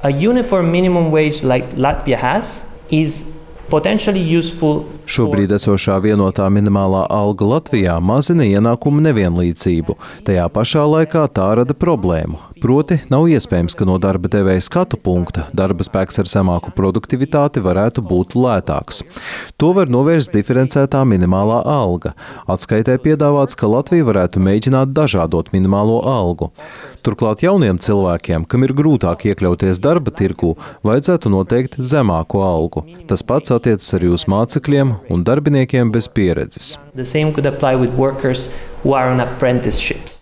A uniform minimum wage like Latvia has is potentially useful. Šobrīd esošā vienotā minimālā alga Latvijā mazina ienākumu nevienlīdzību. Tajā pašā laikā tā rada problēmu. Proti, nav iespējams, ka no darba devēja skatu punkta darba spēks ar zemāku produktivitāti varētu būt lētāks. To var novērst diferencētā minimālā alga. Atskaitē piedāvāts, ka Latvija varētu mēģināt dažādot minimālo algu. Turklāt jauniem cilvēkiem, kam ir grūtāk iekļauties darba tirgū, vajadzētu noteikt zemāku algu. Tas pats attiecas arī uz mācekļiem un darbiniekiem bez pieredzes. The same could apply with workers who are on apprenticeships.